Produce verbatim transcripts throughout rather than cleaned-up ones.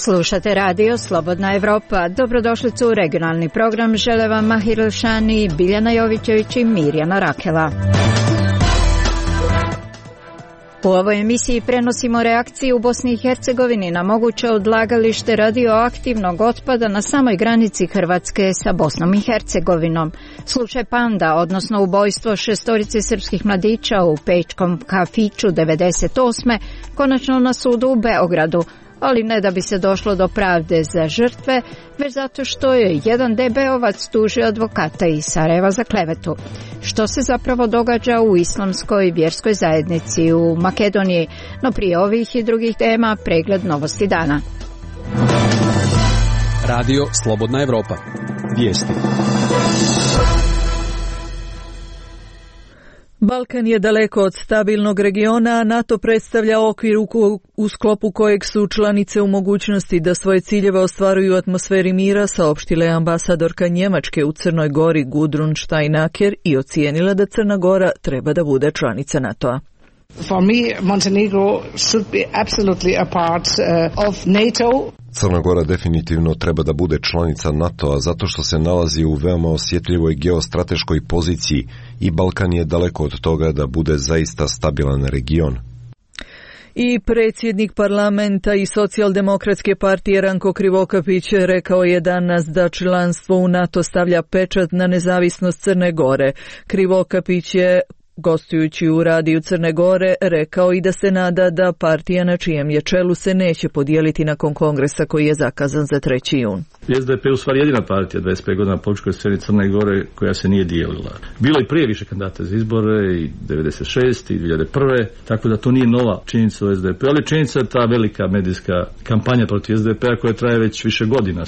Slušate radio Slobodna Evropa. Dobrodošlicu u regionalni program. Žele vam Mahir Šani, Biljana Jovićević i Mirjana Rakela. U ovoj emisiji prenosimo reakciju u Bosni i Hercegovini na moguće odlagalište radioaktivnog otpada na samoj granici Hrvatske sa Bosnom i Hercegovinom. Slučaj Panda, odnosno ubojstvo šestorice srpskih mladića u pečkom kafiću devedeset osme konačno na sudu u Beogradu, ali ne da bi se došlo do pravde za žrtve, već zato što je jedan de be ovac tužio advokata iz Sarajeva za klevetu. Što se zapravo događa u islamskoj vjerskoj zajednici u Makedoniji? No prije ovih i drugih tema pregled novosti dana. Radio Slobodna Evropa. Vijesti. Balkan je daleko od stabilnog regiona, a NATO predstavlja okvir u, u sklopu kojeg su članice u mogućnosti da svoje ciljeve ostvaruju u atmosferi mira, saopštila je ambasadorka Njemačke u Crnoj Gori Gudrun Steinaker i ocijenila da Crna Gora treba da bude članica NATO-a. For me, Montenegro should be absolutely a part uh, of NATO. Crna Gora definitivno treba da bude članica NATO-a zato što se nalazi u veoma osjetljivoj geostrateškoj poziciji i Balkan je daleko od toga da bude zaista stabilan region. I predsjednik parlamenta i socijaldemokratske partije Ranko Krivokapić rekao je danas da članstvo u NATO stavlja pečat na nezavisnost Crne Gore. Krivokapić je, gostujući u radiju Crne Gore, rekao i da se nada da partija na čijem je čelu se neće podijeliti nakon kongresa koji je zakazan za treći jun. es de pe je u stvari jedina partija dvadeset pet godina na političkoj sceni Crne Gore koja se nije dijelila. Bilo i prije više kandidata za izbore, i devedeset šeste i dvije hiljade prve, tako da to nije nova činjenica u es de pe, ali činjenica je ta velika medijska kampanja protiv es de pe-a koja traje već više godina.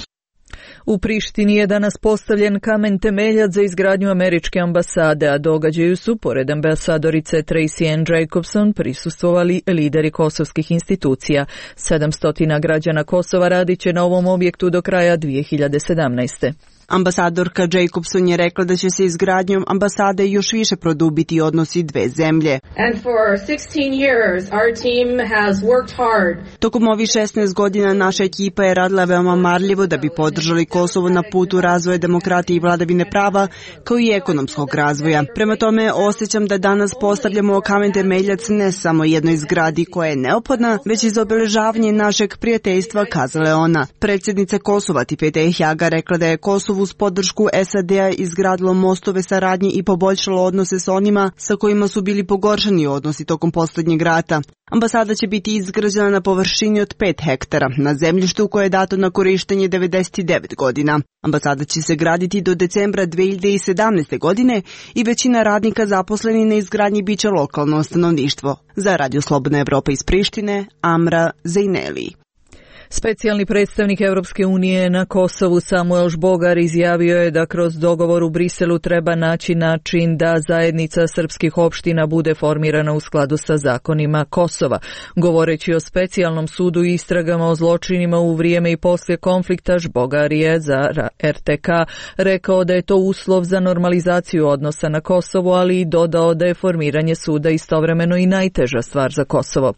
U Prištini je danas postavljen kamen temeljac za izgradnju američke ambasade, a događaju su, pored ambasadorice Tracy Ann Jacobson, prisustvovali lideri kosovskih institucija. sedamsto građana Kosova radit će na ovom objektu do kraja dvije hiljade sedamnaeste. Ambasadorka Jacobson je rekla da će se izgradnjom ambasade još više produbiti odnosi dve zemlje. And for sixteen years our team has worked hard. Tokom ovih šesnaest godina naša ekipa je radila veoma marljivo da bi podržali Kosovo na putu razvoja demokratije i vladavine prava, kao i ekonomskog razvoja. Prema tome, osjećam da danas postavljamo kamen temeljac ne samo jednoj zgradi koja je neophodna, već i za obeležavanje našeg prijateljstva, kazala je ona. Predsjednica Kosova Tipete Ehjaga rekla da je Kosovo uz podršku es a de-a izgradilo mostove saradnje i poboljšalo odnose s onima sa kojima su bili pogoršani odnosi tokom posljednjeg rata. Ambasada će biti izgrađena na površini od pet hektara, na zemljištu koje je dato na korištenje devedeset devet godina. Ambasada će se graditi do decembra dvije hiljade sedamnaeste. godine i većina radnika zaposleni na izgradnji biće lokalno stanovništvo. Za Radio Slobodna Evropa iz Prištine, Amra Zejneli. Specijalni predstavnik Europske unije na Kosovu Samuel Žbogar izjavio je da kroz dogovor u Briselu treba naći način da zajednica srpskih opština bude formirana u skladu sa zakonima Kosova. Govoreći o specijalnom sudu i istragama o zločinima u vrijeme i poslije konflikta, Žbogar je za er te ka rekao da je to uslov za normalizaciju odnosa na Kosovu, ali i dodao da je formiranje suda istovremeno i najteža stvar za Kosovo.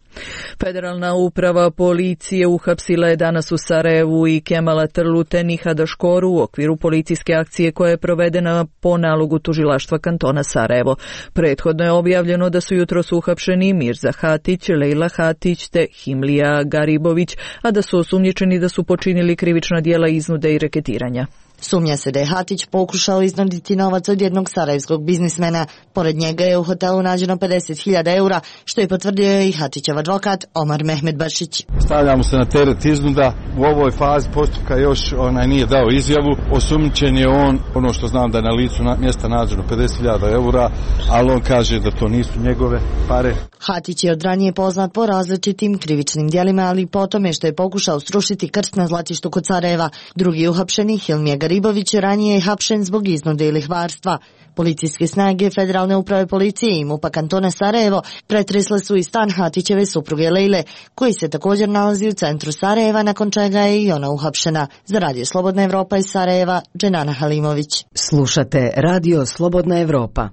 Federalna uprava policije uhapsila je danas u Sarajevu i Kemala Trlute Nihada Škoru u okviru policijske akcije koja je provedena po nalogu tužilaštva kantona Sarajevo. Prethodno je objavljeno da su jutros uhapšeni Mirza Hatić, Lejla Hatić te Himlija Garibović, a da su osumnjičeni da su počinili krivična djela iznude i reketiranja. Sumnja se da je Hatić pokušao iznuditi novac od jednog sarajevskog biznismena. Pored njega je u hotelu nađeno pedeset hiljada eura, što je potvrdio i Hatićev advokat Omar Mehmedbašić. Stavljamo se na teret iznuda. U ovoj fazi postupka još onaj nije dao izjavu. Osumnjičen je on, ono što znam da je na licu mjesta nađeno pedeset hiljada eura, ali on kaže da to nisu njegove pare. Hatić je od ranije poznat po različitim krivičnim djelima, ali po tome što je pokušao srušiti krst na zlatištu kod Sarajeva. Drugi uhapšeni, Hilmija Garibović, ranije je hapšen zbog iznude i lihvarstva. Policijske snage Federalne uprave policije i MUP-a kantona Sarajevo pretresle su i stan Hatićeve supruge Lejle, koji se također nalazi u centru Sarajeva, nakon čega je i ona uhapšena. Za Radio Slobodna Evropa iz Sarajeva, Dženana Halimović. Slušate Radio Slobodna Evropa.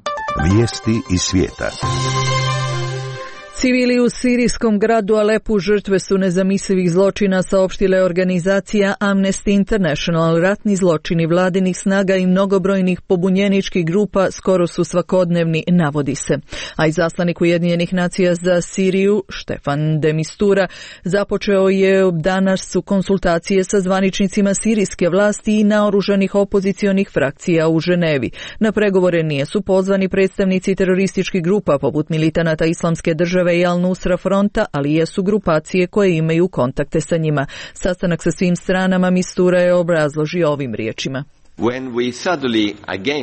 Vijesti iz svijeta. Civili u sirijskom gradu Alepu žrtve su nezamislivih zločina, saopštila je organizacija Amnesty International. Ratni zločini vladinih snaga i mnogobrojnih pobunjeničkih grupa skoro su svakodnevni, navodi se. A izaslanik Ujedinjenih nacija za Siriju, Štefan de Mistura, započeo je danas su konsultacije sa zvaničnicima sirijske vlasti i naoružanih opozicionih frakcija u Ženevi. Na pregovore nisu pozvani predstavnici terorističkih grupa poput militanata Islamske države i Al-Nusra fronta, ali jesu grupacije koje imaju kontakte sa njima. Sastanak sa svim stranama Mistura je obrazložio ovim riječima.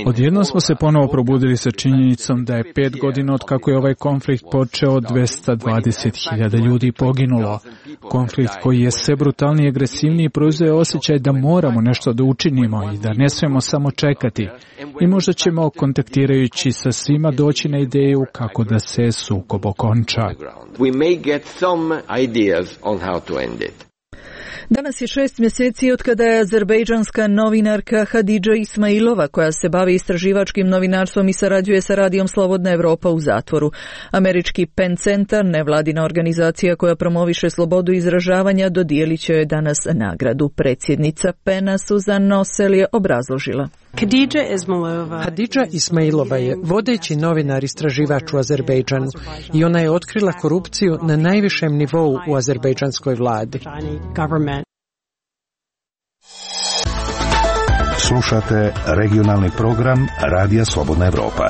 Odjednom smo se ponovo probudili sa činjenicom da je pet godina od kako je ovaj konflikt počeo dvesta dvadeset hiljada ljudi poginulo. Konflikt koji je sve brutalniji i agresivniji proizveo osjećaj da moramo nešto da učinimo i da ne smemo samo čekati. I možda ćemo, kontaktirajući sa svima, doći na ideju kako da se sukob okonča. Danas je šest mjeseci od kada je azerbejdžanska novinarka Hadidža Ismailova, koja se bavi istraživačkim novinarstvom i sarađuje sa radijom Slobodna Evropa, u zatvoru. Američki Penn Centar, nevladina organizacija koja promoviše slobodu izražavanja, dodijelit će joj danas nagradu. Predsjednica Pena Suzan Nosel je obrazložila. Hadidža Ismailova je vodeći novinar istraživač u Azerbejdžanu i ona je otkrila korupciju na najvišem nivou u azerbejdžanskoj vladi. Slušate regionalni program Radija Slobodna Evropa.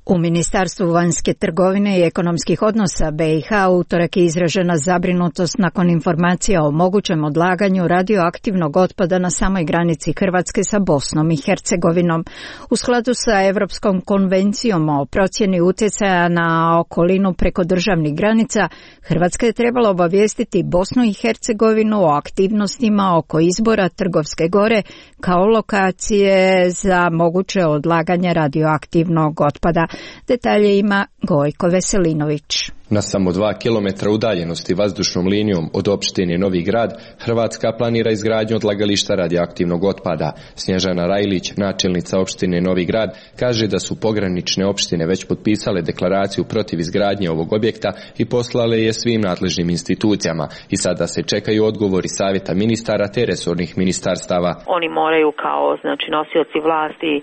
U Ministarstvu vanjske trgovine i ekonomskih odnosa B i H utorak je izražena zabrinutost nakon informacija o mogućem odlaganju radioaktivnog otpada na samoj granici Hrvatske sa Bosnom i Hercegovinom. U skladu sa Europskom konvencijom o procjeni utjecaja na okolinu preko državnih granica, Hrvatska je trebala obavijestiti Bosnu i Hercegovinu o aktivnostima oko izbora Trgovske gore kao lokacije za moguće odlaganje radioaktivnog otpada. Detalje ima Gojko Veselinović. Na samo dva kilometra udaljenosti vazdušnom linijom od opštine Novi Grad, Hrvatska planira izgradnju odlagališta radioaktivnog otpada. Snježana Rajlić, načelnica opštine Novi Grad, kaže da su pogranične opštine već potpisale deklaraciju protiv izgradnje ovog objekta i poslale je svim nadležnim institucijama. I sada se čekaju odgovori savjeta ministara te resornih ministarstava. Oni moraju kao znači nosioci vlasti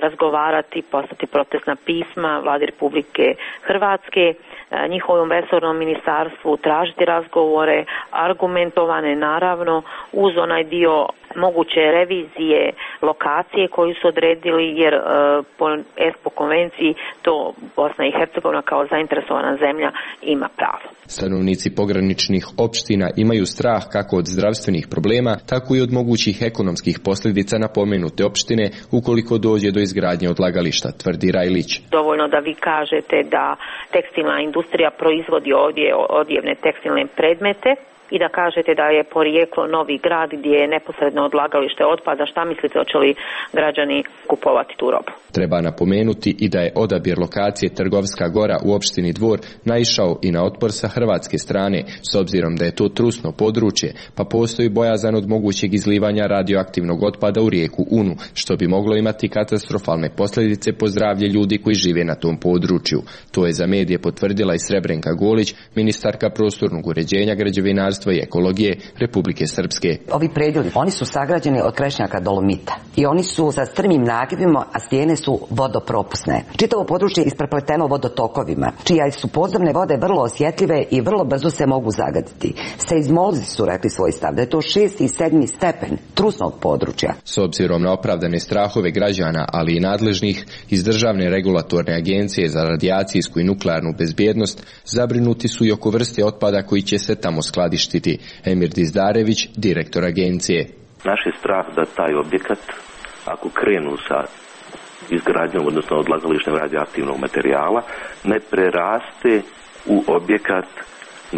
razgovarati, poslati protestna pisma Vladi Republike Hrvatske, njihovom resornom ministarstvu, tražiti razgovore, argumentovane naravno uz onaj dio moguće revizije lokacije koju su odredili, jer e, po ESPO konvenciji to Bosna i Hercegovina kao zainteresovana zemlja ima pravo. Stanovnici pograničnih opština imaju strah kako od zdravstvenih problema, tako i od mogućih ekonomskih posljedica na pomenute opštine ukoliko dođe do izgradnje odlagališta, tvrdi Rajlić. Dovoljno da vi kažete da tekstilna industrija proizvodi ovdje odjevne tekstilne predmete i da kažete da je porijeklo Novi Grad gdje je neposredno odlagalište otpada. Šta mislite, hoće li građani kupovati tu robu? Treba napomenuti i da je odabir lokacije Trgovska gora u opštini Dvor naišao i na otpor sa hrvatske strane, s obzirom da je to trusno područje, pa postoji bojazan od mogućeg izlivanja radioaktivnog otpada u rijeku Unu, što bi moglo imati katastrofalne posljedice po zdravlje ljudi koji žive na tom području. To je za medije potvrdila i Srebrenka Golić, ministarka prostornog uređenja, građevinarstva i ekologije Republike Srpske. Ovi predjeli, oni su sagrađeni od krešnjaka dolomita i oni su sa strmim nagibima, a stijene su vodopropusne. Čitavo područje je isprepleteno vodotokovima, čija su podzemne vode vrlo osjetljive i vrlo brzo se mogu zagaditi. Seizmolozi su rekli svoj stav da je to šesti i sedmi stepen trusnog područja. S obzirom na opravdane strahove građana, ali i nadležnih iz Državne regulatorne agencije za radijacijsku i nuklearnu bezbjednost, zabrinuti su i oko vrste otpada koji će se tamo skladištiti. Emir Dizdarević, direktor agencije. Naš je strah da taj objekat, ako krenu sa izgradnjom, odnosno odlagalištem radioaktivnog materijala, ne preraste u objekat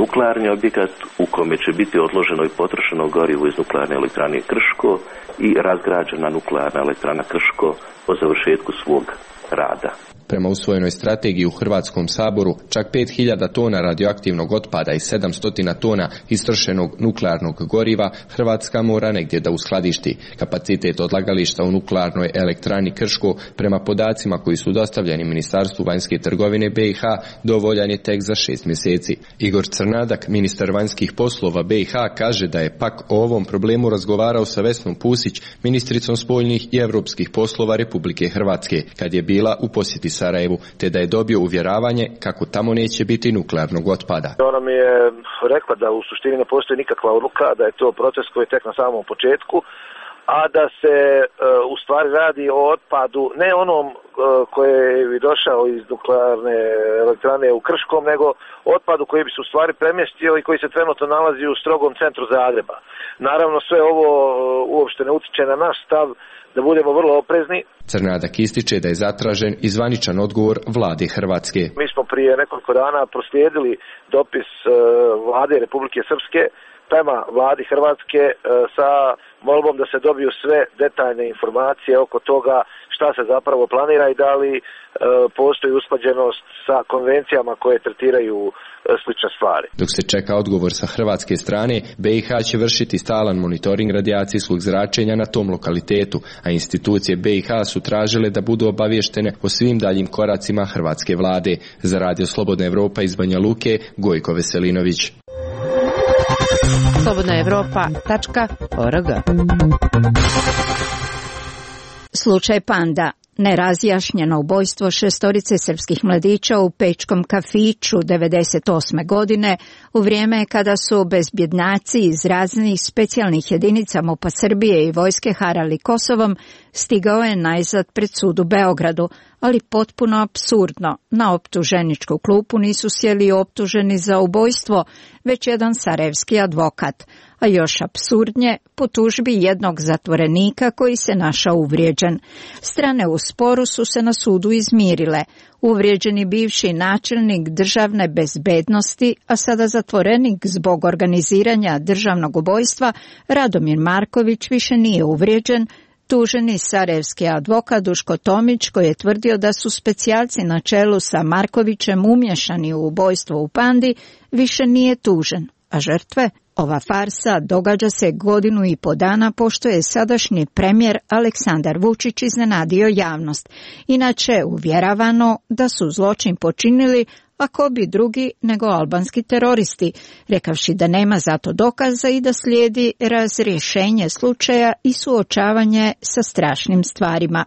nuklearni objekat u kome će biti odloženo i potrošeno gorivo iz nuklearne elektrane Krško i razgrađena nuklearna elektrana Krško po završetku svog rada. Prema usvojenoj strategiji u Hrvatskom saboru, čak pet hiljada tona radioaktivnog otpada i sedamsto tona istrošenog nuklearnog goriva Hrvatska mora negdje da uskladišti. Kapacitet odlagališta u nuklearnoj elektrani Krško, prema podacima koji su dostavljeni Ministarstvu vanjske trgovine B i H, dovoljan je tek za šest mjeseci. Igor Crnadak, ministar vanjskih poslova B i H, kaže da je pak o ovom problemu razgovarao sa Vesnom Pusić, ministricom spoljnih i europskih poslova Republike Hrvatske, kad je bila u posjeti Sarajevu, te da je dobio uvjeravanje kako tamo neće biti nuklearnog otpada. Ona mi je rekla da u suštini ne postoji nikakva odluka, da je to proces koji je tek na samom početku, a da se e, u stvari radi o otpadu, ne onom e, koji bi došao iz nuklearne elektrane u Krškom, nego otpadu koji bi se u stvari premjestio i koji se trenutno nalazi u strogom centru Zagreba. Naravno, sve ovo e, uopšte ne utiče na naš stav da budemo vrlo oprezni. Crnadak ističe da je zatražen i zvaničan odgovor vlade Hrvatske. Mi smo prije nekoliko dana proslijedili dopis e, vlade Republike Srpske prema vladi Hrvatske e, sa molbom da se dobiju sve detaljne informacije oko toga šta se zapravo planira i da li e, postoji usklađenost sa konvencijama koje tretiraju e, slične stvari. Dok se čeka odgovor sa hrvatske strane, B i H će vršiti stalan monitoring radijacijskog zračenja na tom lokalitetu, a institucije B i H su tražile da budu obavještene o svim daljim koracima hrvatske vlade. Za Radio Slobodna Evropa iz Banja Luke, Gojko Veselinović. slobodna evropa tačka org. Slučaj Panda. Nerazjašnjeno ubojstvo šestorice srpskih mladića u pečkom kafiću devedeset osme godine u vrijeme kada su bezbjednaci iz raznih specijalnih jedinica MUP-a Srbije i vojske harali Kosovom, stigao je najzad pred sud u Beogradu, ali potpuno apsurdno. Na optuženičku klupu nisu sjeli optuženi za ubojstvo, već jedan sarajevski advokat, a još apsurdnje po tužbi jednog zatvorenika koji se našao uvrijeđen. Strane u sporu su se na sudu izmirile. Uvrijeđeni bivši načelnik državne bezbednosti, a sada zatvorenik zbog organiziranja državnog ubojstva, Radomir Marković, više nije uvrijeđen. Tuženi sarajevski advokat Duško Tomić, koji je tvrdio da su specijalci na čelu sa Markovićem umješani u ubojstvo u Pandi, više nije tužen, a žrtve? Ova farsa događa se godinu i po dana pošto je sadašnji premijer Aleksandar Vučić iznenadio javnost. Inače uvjeravano da su zločin počinili ako bi drugi nego albanski teroristi, rekavši da nema zato dokaza i da slijedi razrješenje slučaja i suočavanje sa strašnim stvarima.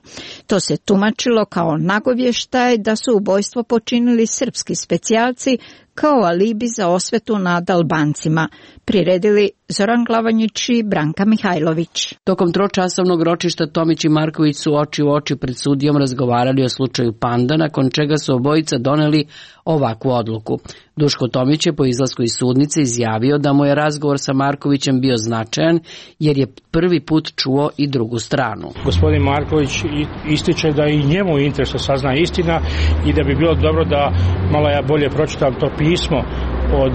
To se tumačilo kao nagovještaj da su ubojstvo počinili srpski specijalci kao alibi za osvetu nad Albancima, priredili Zoran Glavanjić i Branka Mihajlović. Tokom tročasovnog ročišta Tomić i Marković su oči u oči pred sudijom razgovarali o slučaju Panda, nakon čega su obojica doneli ovakvu odluku. Duško Tomić je po izlasku iz sudnice izjavio da mu je razgovor sa Markovićem bio značajan jer je prvi put čuo i drugu stranu. Gospodin Marković ističe da i njemu interes da sazna istina i da bi bilo dobro da malo ja bolje pročitam to pismo od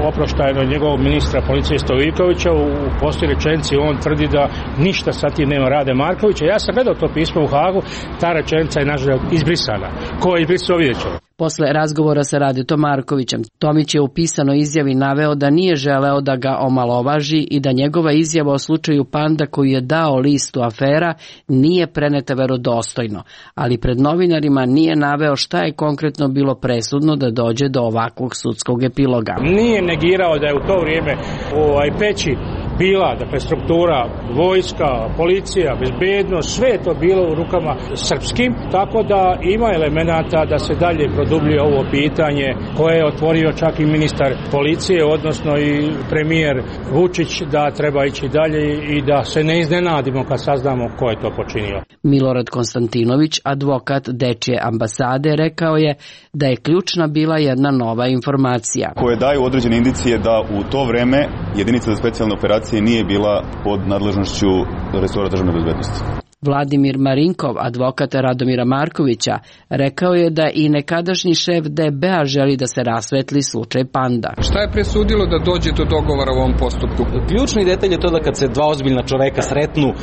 oproštajnog njegovog ministra policije Stojikovića. U posljednjoj rečenici on tvrdi da ništa sa tim nema Rade Markovića. Ja sam gledao to pismo u Hagu, ta rečenica je nažalost izbrisana. Ko je izbrisao, vidjet ćemo. Posle razgovora sa Radetom Markovićem, Tomić je u pisanoj izjavi naveo da nije želeo da ga omalovaži i da njegova izjava o slučaju Panda koju je dao listu afera nije preneta verodostojno, ali pred novinarima nije naveo šta je konkretno bilo presudno da dođe do ovakvog sudskog epiloga. Nije negirao da je u to vrijeme ovaj Peći bila, dakle, struktura, vojska, policija, bezbednost, sve je to bilo u rukama srpskim, tako da ima elemenata da se dalje produbljuje ovo pitanje koje je otvorio čak i ministar policije, odnosno i premijer Vučić, da treba ići dalje i da se ne iznenadimo kad saznamo ko je to počinio. Milorad Konstantinović, advokat Dečije ambasade, rekao je da je ključna bila jedna nova informacija. Koje daju određene indicije da u to vreme jedinica za specijalne operacije nije bila pod nadležnošću resora državne bezbednosti. Vladimir Marinkov, advokat Radomira Markovića, rekao je da i nekadašnji šef D B A želi da se rasvetli slučaj Panda. Šta je presudilo da dođe do dogovora u ovom postupku? Ključni detalj je to da kad se dva ozbiljna čoveka sretnu, e,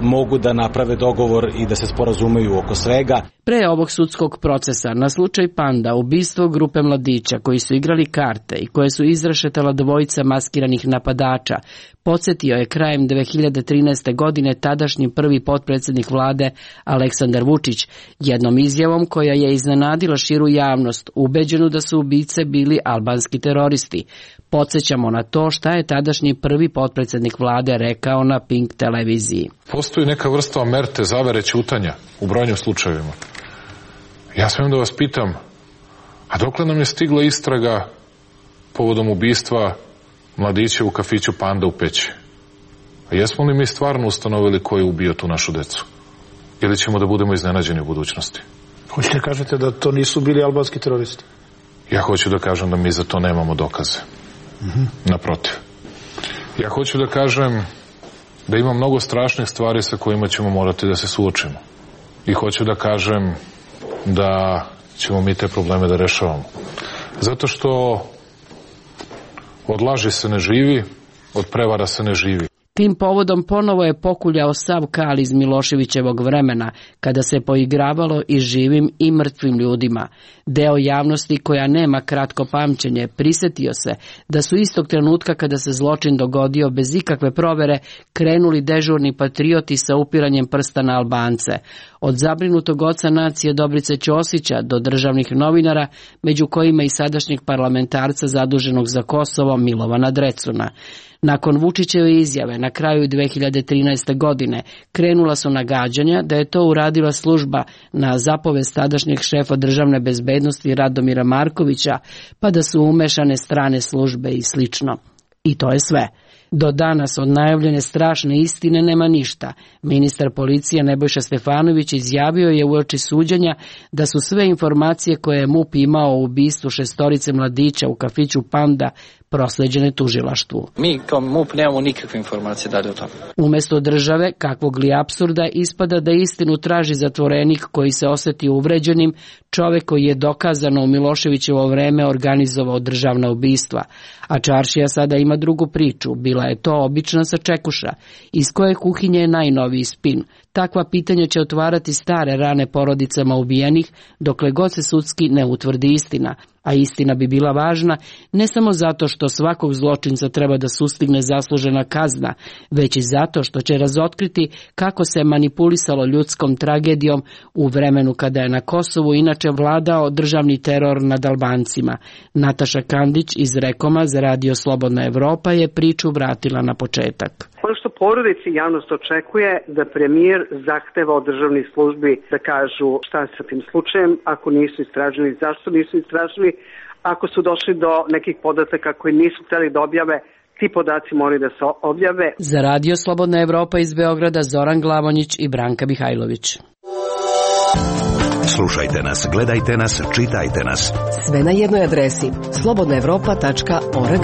mogu da naprave dogovor i da se sporazumeju oko svega. Pre ovog sudskog procesa na slučaj Panda, ubistvo grupe mladića koji su igrali karte i koje su izrešetala dvojica maskiranih napadača, podsjetio je krajem dve hiljade trinaeste. godine tadašnji prvi potpredsjednik vlade Aleksandar Vučić jednom izjavom koja je iznenadila širu javnost, ubeđenu da su ubice bili albanski teroristi. Podsjećamo na to šta je tadašnji prvi potpredsjednik vlade rekao na Pink televiziji. Postoji neka vrsta omerte, zavere, ćutanja u brojnim slučajevima. Ja smijem da vas pitam, a dokle nam je stigla istraga povodom ubistva mladića u kafiću Panda u Peći? A jesmo li mi stvarno ustanovili ko je ubio tu našu decu? Ili ćemo da budemo iznenađeni u budućnosti? Hoćete kažete da to nisu bili albanski teroristi? Ja hoću da kažem da mi za to nemamo dokaze. Mm-hmm. Naprotiv. Ja hoću da kažem da ima mnogo strašnih stvari sa kojima ćemo morati da se suočimo. I hoću da kažem da ćemo mi te probleme da rešavamo. Zato što od laži se ne živi, od prevara se ne živi. Tim povodom ponovo je pokuljao sav kal iz Miloševićevog vremena, kada se poigravalo i živim i mrtvim ljudima. Deo javnosti koja nema kratko pamćenje prisetio se da su istog trenutka kada se zločin dogodio bez ikakve provere krenuli dežurni patrioti sa upiranjem prsta na Albance. Od zabrinutog oca nacije Dobrice Ćosića do državnih novinara, među kojima i sadašnjeg parlamentarca zaduženog za Kosovo Milovana Drecuna. Nakon Vučićeve izjave na kraju dve hiljade trinaeste. godine krenula su nagađanja da je to uradila služba na zapovest tadašnjeg šefa državne bezbednosti Radomira Markovića, pa da su umešane strane službe i slično. I to je sve. Do danas od najavljene strašne istine nema ništa. Ministar policije Nebojša Stefanović izjavio je uoči suđenja da su sve informacije koje je M U P imao o ubistvu šestorice mladića u kafiću Panda prosleđene tužilaštvu. Mi kao M U P nemamo nikakve informacije dalje o tome. Umesto države, kakvog li apsurda, ispada da istinu traži zatvorenik koji se osjeti uvređenim, čovek koji je dokazano u Miloševićevo vreme organizovao državna ubistva. A čaršija sada ima drugu priču, bila je to obična sačekuša, iz koje kuhinje je najnoviji spin. Takva pitanja će otvarati stare rane porodicama ubijenih, dokle god se sudski ne utvrdi istina. A istina bi bila važna ne samo zato što svakog zločinca treba da sustigne zaslužena kazna, već i zato što će razotkriti kako se manipulisalo ljudskom tragedijom u vremenu kada je na Kosovu inače vladao državni teror nad Albancima. Nataša Kandić iz Rekoma za Radio Slobodna Evropa je priču vratila na početak. Ono što porodici javnost očekuje da premijer zahteva od državnih službi da kažu šta je sa tim slučajem, ako nisu istražili, zašto nisu istražili, ako su došli do nekih podataka koji nisu hteli da objave, ti podaci moraju da se objave. Za Radio Slobodna Evropa iz Beograda Zoran Glavonjić i Branka Mihajlović. Slušajte nas, gledajte nas, čitajte nas. Sve na jednoj adresi slobodna evropa tačka org.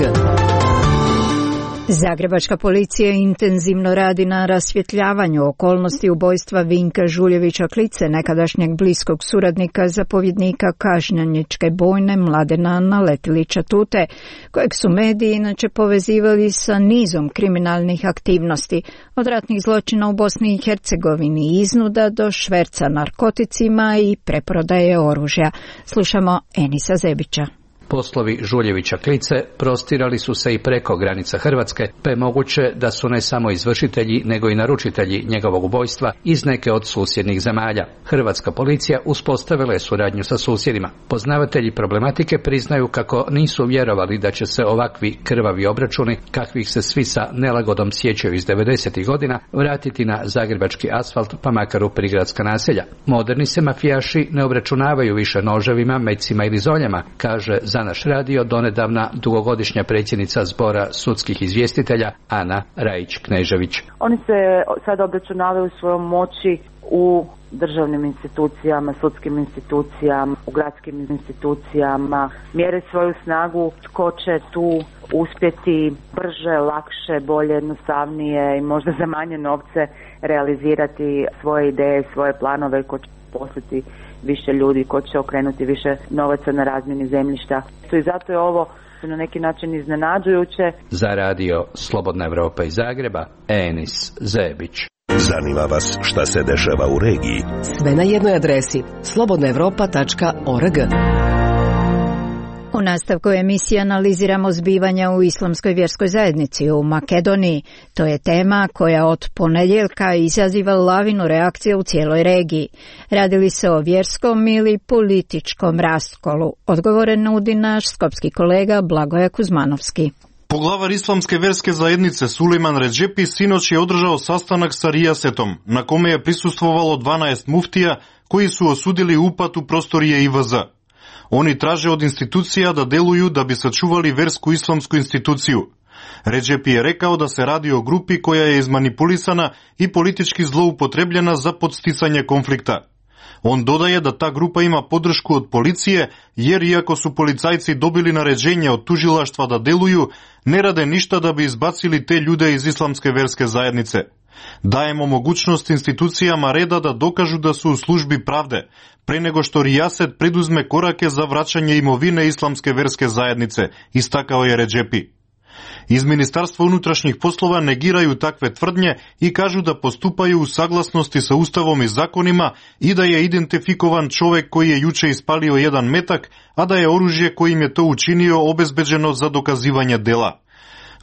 Zagrebačka policija intenzivno radi na rasvjetljavanju okolnosti ubojstva Vinka Žuljevića Klice, nekadašnjeg bliskog suradnika zapovjednika Kažnjaničke bojne Mladena Naletilića Tute, kojeg su mediji inače povezivali sa nizom kriminalnih aktivnosti, od ratnih zločina u Bosni i Hercegovini i iznuda do šverca narkoticima i preprodaje oružja. Slušamo Enisa Zebića. Poslovi Žuljevića Klice prostirali su se i preko granica Hrvatske, pa je moguće da su ne samo izvršitelji, nego i naručitelji njegovog ubojstva iz neke od susjednih zemalja. Hrvatska policija uspostavila je suradnju sa susjedima. Poznavatelji problematike priznaju kako nisu vjerovali da će se ovakvi krvavi obračuni, kakvih se svi sa nelagodom sjećaju iz devedesetih godina, vratiti na zagrebački asfalt, pa makar u prigradska naselja. Moderni se mafijaši ne obračunavaju više noževima, mecima ili zoljama, kaže Za naš radio donedavna dugogodišnja predsjednica Zbora sudskih izvjestitelja Ana Rajić-Knežević. Oni se sad obračunavaju svojom moći u državnim institucijama, sudskim institucijama, u gradskim institucijama, mjere svoju snagu tko će tu uspjeti brže, lakše, bolje, jednostavnije i možda za manje novce realizirati svoje ideje, svoje planove, ko će poslati više ljudi, ko će okrenuti više novaca na razmjeni zemljišta. I zato je ovo na neki način iznenađujuće. Za radio Slobodna Evropa iz Zagreba, Enis Zebić. Zanima vas šta se dešava u regiji? Sve na jednoj adresi slobodna evropa tačka org. U nastavku emisije analiziramo zbivanja u islamskoj vjerskoj zajednici u Makedoniji. To je tema koja od ponedjeljka izaziva lavinu reakcije u cijeloj regiji. Radi li se o vjerskom ili političkom raskolu? Odgovore nudi naš skopski kolega Blagoje Kuzmanovski. Poglavar islamske verske zajednice Sulejman Redžepi sinoć je održao sastanak sa Rijasetom, na kome je prisustvovalo dvanaest muftija koji su osudili upad u prostorije I V Z. Oni traže od institucija da deluju da bi sačuvali versku islamsku instituciju. Redžepi je rekao da se radi o grupi koja je izmanipulisana i politički zloupotrebljena za podsticanje konflikta. On dodaje da ta grupa ima podršku od policije, jer iako su policajci dobili naređenje od tužilaštva da deluju, ne rade ništa da bi izbacili te ljude iz islamske verske zajednice. Dajemo mogućnost institucijama reda da dokažu da su u službi pravde, pre nego što Rijaset preduzme korake za vraćanje imovine islamske verske zajednice, istakao je Redžepi. Iz Ministarstva unutrašnjih poslova negiraju takve tvrdnje i kažu da postupaju u saglasnosti sa Ustavom i zakonima i da je identifikovan čovjek koji je juče ispalio jedan metak, a da je oružje kojim je to učinio obezbeđeno za dokazivanje dela.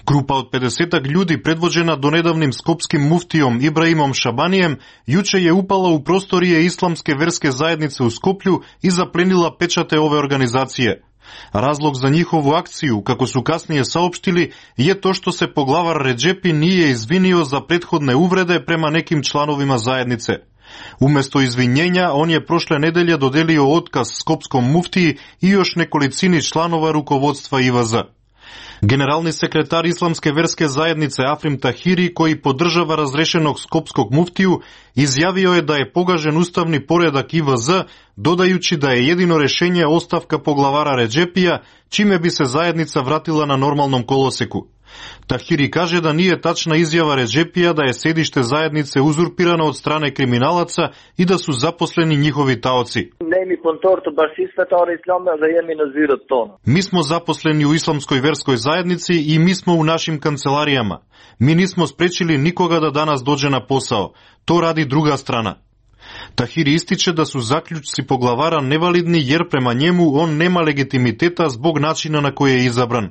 Grupa od pedesetak ljudi predvođena donedavnim skopskim muftijom Ibrahimom Šabanijem juče je upala u prostorije islamske verske zajednice u Skoplju i zaplenila pečate ove organizacije. Razlog za njihovu akciju, kako su kasnije saopštili, je to što se poglavar Redžepi nije izvinio za prethodne uvrede prema nekim članovima zajednice. Umjesto izvinjenja, on je prošle nedelje dodelio otkaz skopskom muftiji i još nekolicini članova rukovodstva I V Z. Generalni sekretar islamske verske zajednice Afrim Tahiri, koji podržava razrešenog skopskog muftiju, izjavio je da je pogažen ustavni poredak I V Z, dodajući da je jedino rješenje ostavka poglavara Redžepija, čime bi se zajednica vratila na normalnom koloseku. Tahiri kaže da nije tačna izjava Redžepija da je sedište zajednice uzurpirano od strane kriminalaca i da su zaposleni njihovi taoci. Mi smo zaposleni u islamskoj verskoj zajednici i mi smo u našim kancelarijama. Mi nismo sprečili nikoga da danas dođe na posao. To radi druga strana. Tahiri ističe da su zaključci poglavara nevalidni jer prema njemu on nema legitimiteta zbog načina na koji je izabran.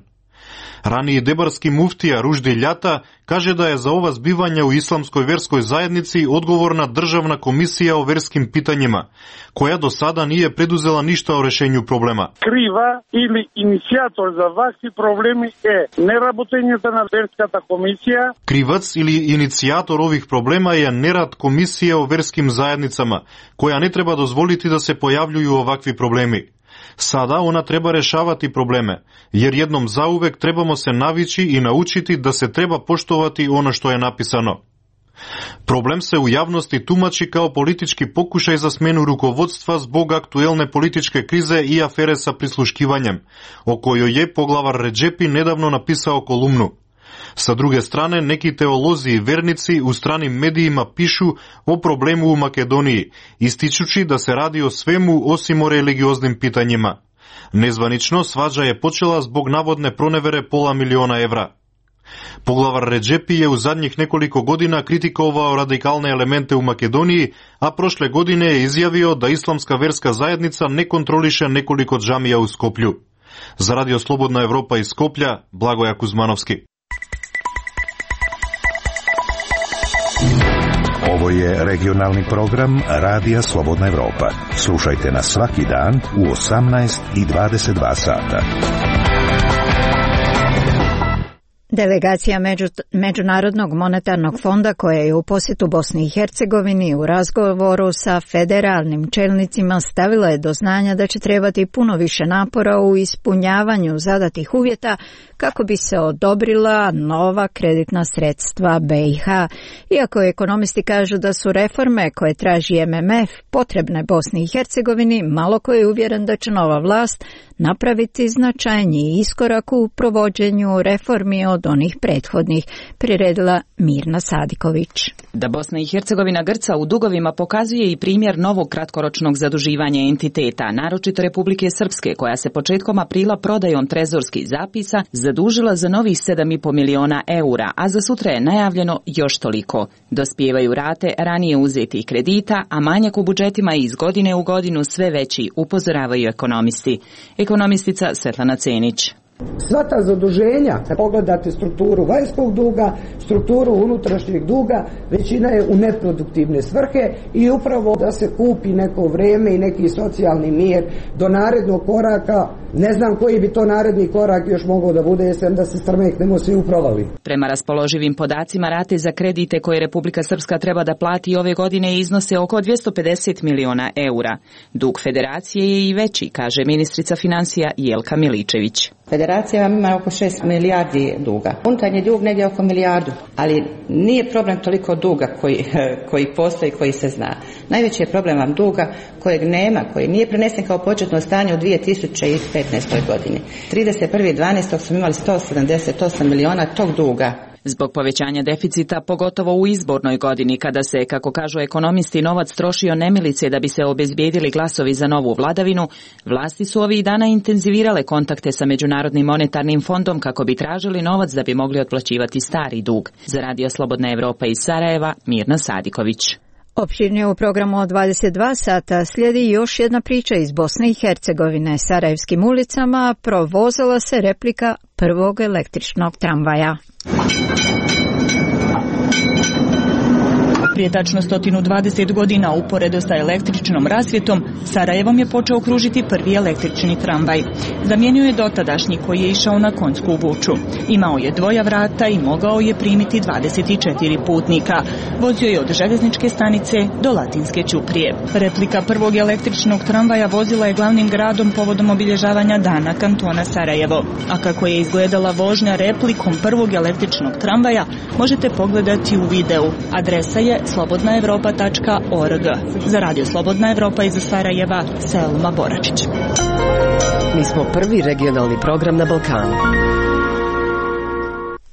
Raniji debarski muftija Ruždi Ljata kaže da je za ova zbivanja u islamskoj verskoj zajednici odgovorna državna komisija o verskim pitanjima, koja do sada nije preduzela ništa o rešenju problema. Kriva ili inicijator za ovakvi problemi je neraботenjata na verskата komisija. Krivac ili inicijator ovih problema je nerad komisije o verskim zajednicama, koja ne treba dozvoliti da se pojavljuju ovakvi problemi. Sada ona treba rešavati probleme, jer jednom zauvek trebamo se navići i naučiti da se treba poštovati ono što je napisano. Problem se u javnosti tumači kao politički pokušaj za smenu rukovodstva zbog aktuelne političke krize i afere sa prisluškivanjem, o kojoj je poglavar Redžepi nedavno napisao kolumnu. Sa druge strane, neki teolozi i vernici u stranim medijima pišu o problemu u Makedoniji, ističući da se radi o svemu osim o religioznim pitanjima. Nezvanično, svađa je počela zbog navodne pronevere pola miliona evra. Poglavar Redžepi je u zadnjih nekoliko godina kritikovao radikalne elemente u Makedoniji, a prošle godine je izjavio da islamska verska zajednica ne kontroliše nekoliko džamija u Skoplju. Za Radio Slobodna Evropa iz Skoplja, Blagoja Kuzmanovski. Ovo je regionalni program Radija Slobodna Evropa. Slušajte nas svaki dan u osamnaest i dvadeset dva sata. Delegacija Među, Međunarodnog monetarnog fonda koja je u posjetu Bosni i Hercegovini u razgovoru sa federalnim čelnicima stavila je do znanja da će trebati puno više napora u ispunjavanju zadatih uvjeta kako bi se odobrila nova kreditna sredstva B i H. Iako ekonomisti kažu da su reforme koje traži M M F potrebne Bosni i Hercegovini, malo ko je uvjeren da će nova vlast napraviti značajniji iskorak u provođenju reformi od onih prethodnih, priredila Mirna Sadiković. Da Bosna i Hercegovina grca u dugovima pokazuje i primjer novog kratkoročnog zaduživanja entiteta, naročito Republike Srpske, koja se početkom aprila prodajom trezorskih zapisa zadužila za novih sedam i po miliona eura, a za sutra je najavljeno još toliko. Dospijevaju rate ranije uzetih kredita, a manjak u budžetima iz godine u godinu sve veći, upozoravaju ekonomisti. Ekonomistica Svetlana Cenić. Sva ta zaduženja, pogledate strukturu vanjskog duga, strukturu unutrašnjeg duga, većina je u neproduktivne svrhe i upravo da se kupi neko vreme i neki socijalni mir do narednog koraka. Ne znam koji bi to naredni korak još mogao da bude, jesam da se strmeknemo svi u provali. Prema raspoloživim podacima, rate za kredite koje Republika Srpska treba da plati ove godine iznose oko dvjesto pedeset miliona eura. Dug federacije je i veći, kaže ministrica financija Jelka Miličević. Federacija vam ima oko šest milijardi duga. Unutarnji dug negdje oko milijardu, ali nije problem toliko duga koji, koji postoji, koji se zna. Najveći je problem vam duga kojeg nema, koji nije prenesen kao početno stanje u dvije tisuće petnaestoj godini. trideset prvog dvanaestog smo imali sto sedamdeset osam miliona tog duga. Zbog povećanja deficita, pogotovo u izbornoj godini, kada se, kako kažu ekonomisti, novac trošio nemilice da bi se obezbijedili glasovi za novu vladavinu, vlasti su ovih dana intenzivirale kontakte sa Međunarodnim monetarnim fondom kako bi tražili novac da bi mogli otplaćivati stari dug. Za Radio Slobodna Evropa iz Sarajeva, Mirna Sadiković. Opširnije u programu od dvadeset dva sata slijedi još jedna priča iz Bosne i Hercegovine. Sarajevskim ulicama provozala se replika prvog električnog tramvaja. Prije tačno sto dvadeset godina uporedo sa električnom rasvjetom, Sarajevom je počeo kružiti prvi električni tramvaj. Zamijenio je dotadašnji koji je išao na konjsku vuču. Imao je dvoja vrata i mogao je primiti dvadeset četiri putnika. Vozio je od željezničke stanice do Latinske ćuprije. Replika prvog električnog tramvaja vozila je glavnim gradom povodom obilježavanja dana kantona Sarajevo. A kako je izgledala vožnja replikom prvog električnog tramvaja, možete pogledati u videu. Adresa je slobodna evropa tačka org. Za Radio Slobodna Evropa iz Sarajeva, Selma Boračić. Mi smo prvi regionalni program na Balkanu.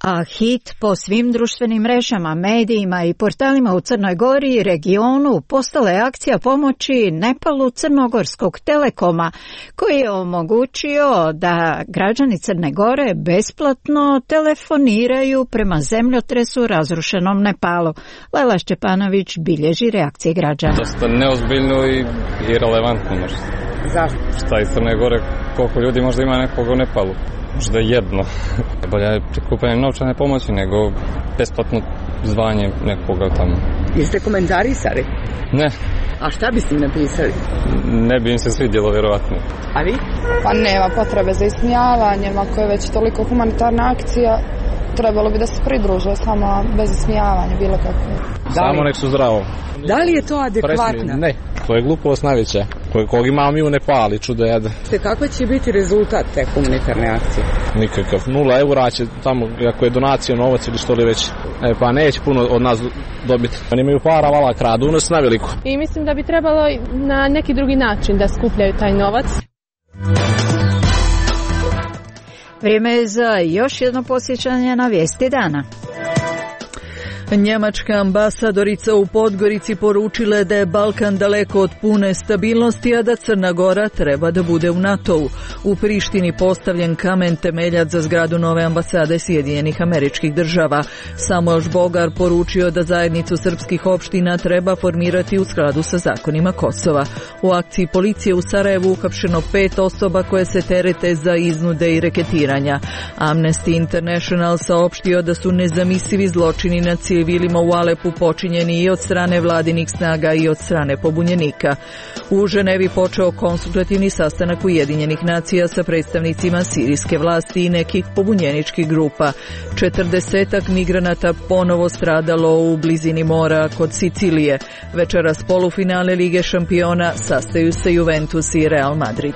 A hit po svim društvenim mrežama, medijima i portalima u Crnoj Gori i regionu postala je akcija pomoći Nepalu Crnogorskog Telekoma, koji je omogućio da građani Crne Gore besplatno telefoniraju prema zemljotresu razrušenom Nepalu. Lajla Šćepanović bilježi reakcije građana. Dosta neozbiljno i irelevantno možda. Zašto? Šta iz Crne Gore, koliko ljudi možda ima nekoga u Nepalu? Možda jedno. Bolje je prikupanje novčane pomoći nego besplatno zvanje nekoga tamo. Jeste komentarisali? Ne. A šta biste im napisali? Ne bi im se svidjelo, vjerovatno. A vi? Pa nema potrebe za ismijavanjem, ako je već toliko humanitarna akcija, trebalo bi da se pridruže samo bez ismijavanja, bilo kako. Samo nek su zdravo. Da li je to adekvatno? Ne, to je glupost najveća. Kog imamo mi u Nepali, čudo jede. Kako će biti rezultat te humanitarne akcije? Nikakav. Nula eura će tamo, ako je donacija novac ili što li već. E, pa neće puno od nas dobiti. Oni imaju para, vala kradu, nas na veliko. I mislim da bi trebalo na neki drugi način da skupljaju taj novac. Vrijeme je za još jedno posjećanje na vijesti dana. Njemačka ambasadorica u Podgorici poručila je da je Balkan daleko od pune stabilnosti, a da Crna Gora treba da bude u NATO-u. U Prištini postavljen kamen temeljac za zgradu nove ambasade Sjedinjenih Američkih Država. Samuel Žbogar poručio da zajednicu srpskih opština treba formirati u skladu sa zakonima Kosova. U akciji policije u Sarajevu uhapšeno pet osoba koje se terete za iznude i reketiranja. Amnesty International saopštio da su nezamislivi zločini na civilima civilima u Alepu počinjeni i od strane vladinih snaga i od strane pobunjenika. U Ženevi počeo konsultativni sastanak Ujedinjenih nacija sa predstavnicima sirijske vlasti i nekih pobunjeničkih grupa. Četrdesetak migranata ponovo stradalo u blizini mora kod Sicilije. Večeras polufinale Lige šampiona sastaju se Juventus i Real Madrid.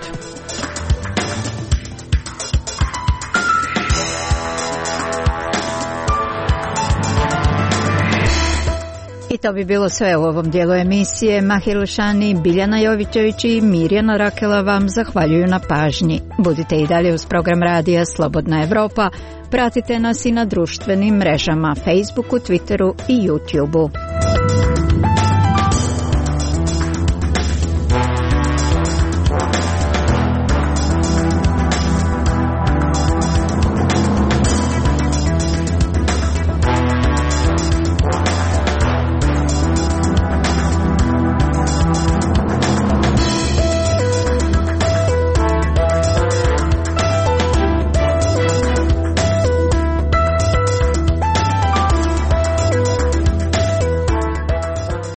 I to bi bilo sve u ovom dijelu emisije. Mahir Lušani, Biljana Jovićević i Mirjana Rakela vam zahvaljuju na pažnji. Budite i dalje uz program radija Slobodna Evropa. Pratite nas i na društvenim mrežama, Facebooku, Twitteru i YouTubeu.